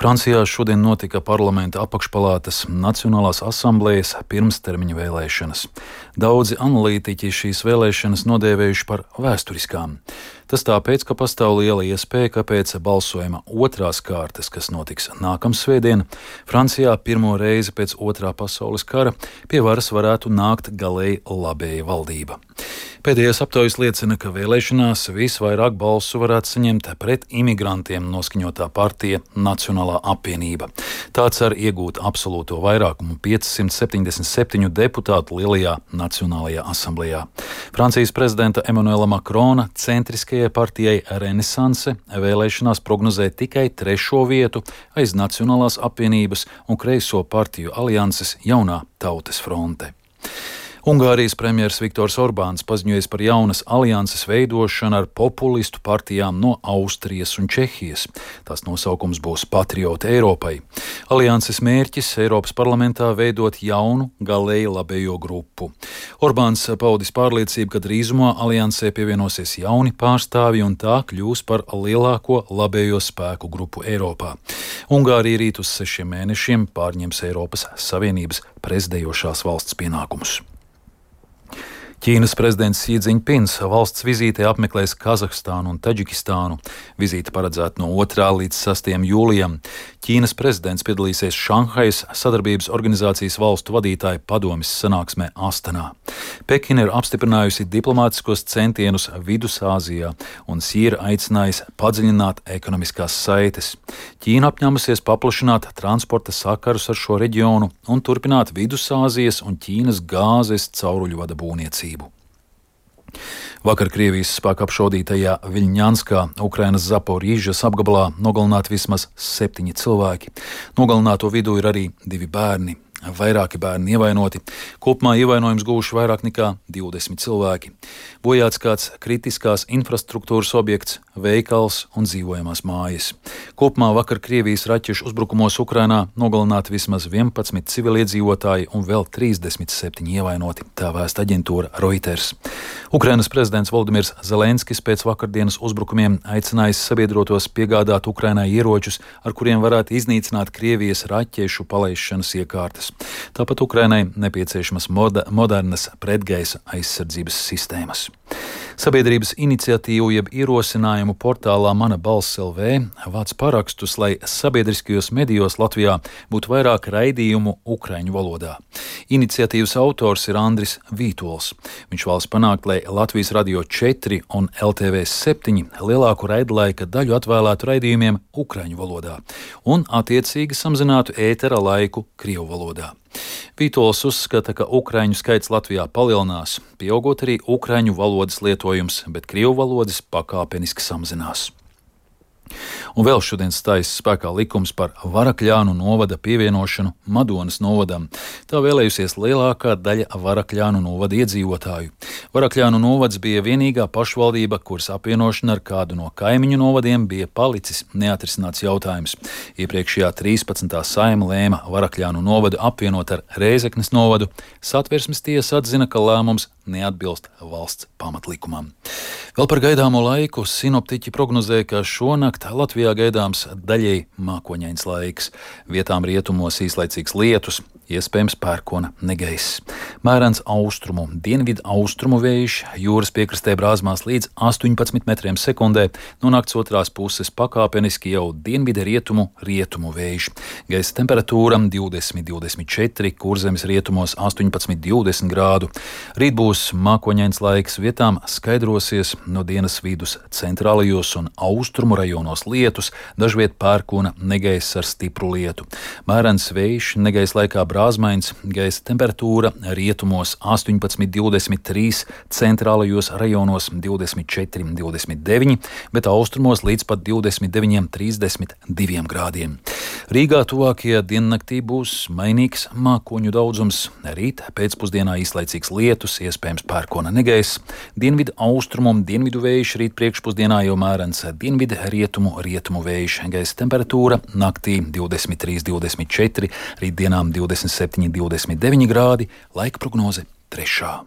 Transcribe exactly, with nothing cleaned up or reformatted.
Francijā šodien notika parlamenta apakšpalātas Nacionālās asamblējas pirmstermiņa vēlēšanas. Daudzi analītiķi šīs vēlēšanas nodēvējuši par vēsturiskām. Tas tāpēc, ka pastāv liela iespēja, ka pēc balsojuma otrās kārtas, kas notiks nākamā svētdiena, Francijā pirmo reizi pēc otrā pasaules kara pie varas varētu nākt galēji labēja valdība. Pēdējais aptaujas liecina, ka vēlēšanās visvairāk balsu varētu saņemt pret imigrantiem noskaņotā partija Nacionālā apvienība. Tā cer iegūt absolūto vairākumu piecsimt septiņdesmit septiņu deputātu lielajā Nacionālajā asamblējā. Francijas prezidenta Emanuela Makrona centriskajai partijai Renesanse vēlēšanās prognozē tikai trešo vietu aiz Nacionālās apvienības un kreiso partiju alianses Jaunā tautas fronte. Ungārijas premjers Viktors Orbāns paziņojis par jaunas alianses veidošanu ar populistu partijām no Austrijas un Čehijas. Tās nosaukums būs Patrioti Eiropai. Alianses mērķis Eiropas parlamentā veidot jaunu, galēji labējo grupu. Orbāns paudis pārliecību, ka drīzumā aliansē pievienosies jauni pārstāvji un tā kļūs par lielāko labējo spēku grupu Eiropā. Ungārija rīt uz sešiem mēnešiem pārņems Eiropas Savienības prezidējošās valsts pienākumus. Ķīnas prezidents Xi Jinpings valsts vizītē apmeklēs Kazahstānu un Taģikistānu. Vizīte paredzēta no otrā līdz sastajam jūlijam. Ķīnas prezidents piedalīsies Šanhajas sadarbības organizācijas valstu vadītāju padomes sanāksmē Astanā. Pekina ir apstiprinājusi diplomātiskos centienus Vidusāzijā un Xi ir aicinājis padziļināt ekonomiskās saites. Ķīna apņēmusies paplašināt transporta sakarus ar šo reģionu un turpināt Vidusāzijas un Ķīnas gāzes cauruļvada būvniecību. Vakar Krievijas spēku apšaudītajā Viļņanskā, Ukrainas Zaporīžas apgabalā nogalināti vismaz septiņi cilvēki. Nogalināto vidū ir arī divi bērni. Vairāki bērni ievainoti. Kopumā ievainojums guvuši vairāk nekā divdesmit cilvēki. Bojāts kāds kritiskās infrastruktūras objekts, veikals un dzīvojamās mājas. Kopumā vakar Krievijas raķešu uzbrukumos Ukrainā nogalināti vismaz vienpadsmit civiliedzīvotāji un vēl trīsdesmit septiņi ievainoti, tā vēsta aģentūra Reuters. Ukrainas prezidents Volodimirs Zelenskis pēc vakardienas uzbrukumiem aicinājis sabiedrotos piegādāt Ukrainai ieročus, ar kuriem varētu iznīcināt Krievijas raķešu palaišanas iekārtas. Tāpat Ukrainai nepieciešamas moda, modernas pretgaisa aizsardzības sistēmas. Sabiedrības iniciatīvu jeb ierosinājumu portālā Mana balss L V vāc parakstus, lai sabiedriskajos medijos Latvijā būtu vairāk raidījumu ukraiņu valodā. Iniciatīvas autors ir Andris Vītols. Viņš vēlas panākt, lai Latvijas Radio četri un L T V septiņi lielāku raidlaika daļu atvēlētu raidījumiem ukraiņu valodā un attiecīgi samazinātu ētera laiku krievu valodā. Vītols uzskata, ka ukraiņu skaits Latvijā palielinās, pieaugot arī ukraiņu valodas lietojums, bet krievu valodas pakāpeniski samazinās. Un vēl šodien stājas spēkā likums par Varakļānu novada pievienošanu Madonas novadam. Tā vēlējusies lielākā daļa Varakļānu novada iedzīvotāju. Varakļānu novads bija vienīgā pašvaldība, kuras apvienošana ar kādu no kaimiņu novadiem bija palicis neatrisināts jautājums. Iepriekšējā trīspadsmitā saima lēma Varakļānu novadu apvienot ar Rēzeknes novadu. Satversmes tiesa atzina, ka lēmums neatbilst valsts pamatlikumam. Vēl par gaidāmo laiku sinoptiķi prognozē, ka šonakt Latvijā gaidāms daļēji mākoņains laiks. Vietām rietumos īslaicīgs lietus, iespējams pērkona negaiss. Mērens austrumu, dienvidu austrumu vējš, jūras piekrastē brāzmās līdz astoņpadsmit metriem sekundē, no nakts otrās puses pakāpeniski jau dienvidu rietumu rietumu vējš. Gaisa temperatūra divdesmit divdesmit četri, Kurzemes rietumos astoņpadsmit divdesmit grādu. Rīt būs mākoņains laiks, vietām skaidrosies no dienas vidus centrālajos un austrumu rajonos lietus, dažviet pērkona negaiss ar stipru lietu. Mērens vējš, negaiss laikā brāzmains, gaisa temperatūra rietumos astoņpadsmit divdesmit trīs, centrālajos rajonos divdesmit četri divdesmit deviņi, bet austrumos līdz pat divdesmit deviņi trīsdesmit divi grādiem. Rīgā tuvākajā diennaktī būs mainīgs mākoņu daudzums. Rīt pēcpusdienā īslaicīgs lietus, iespējams pērkona negaiss. Dienvidu austrumu un dienvidu vējš rīt priekšpusdienā jau mērens dienvidu rietumu rietumu vējš. Gaisa temperatūra naktī divdesmit trīs divdesmit četri, rītdienām divdesmit septiņi divdesmit deviņi grādi, laika prognoze trešā.